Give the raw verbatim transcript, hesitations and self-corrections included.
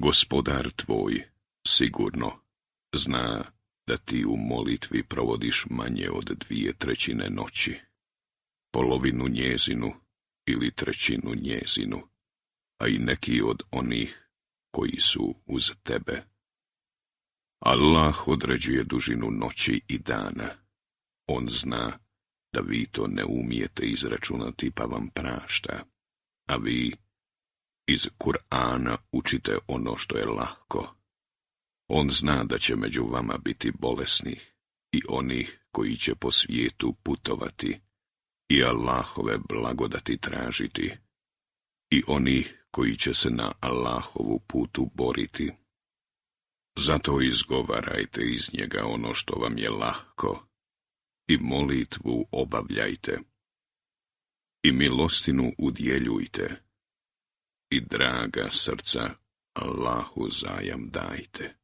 Gospodar tvoj sigurno zna da ti u molitvi provodiš manje od dvije trećine noći, polovinu njezinu ili trećinu njezinu, a i neki od onih koji su uz tebe. Allah određuje dužinu noći i dana. On zna da vi to ne umijete izračunati pa vam prašta, a vi iz Kur'ana učite ono što je lahko. On zna da će među vama biti bolesnih i onih koji će po svijetu putovati i Allahove blagodati tražiti i onih koji će se na Allahovu putu boriti. Zato izgovarajte iz njega ono što vam je lahko i molitvu obavljajte i milostinu udjeljujte i draga srca Allahu zajam dajte.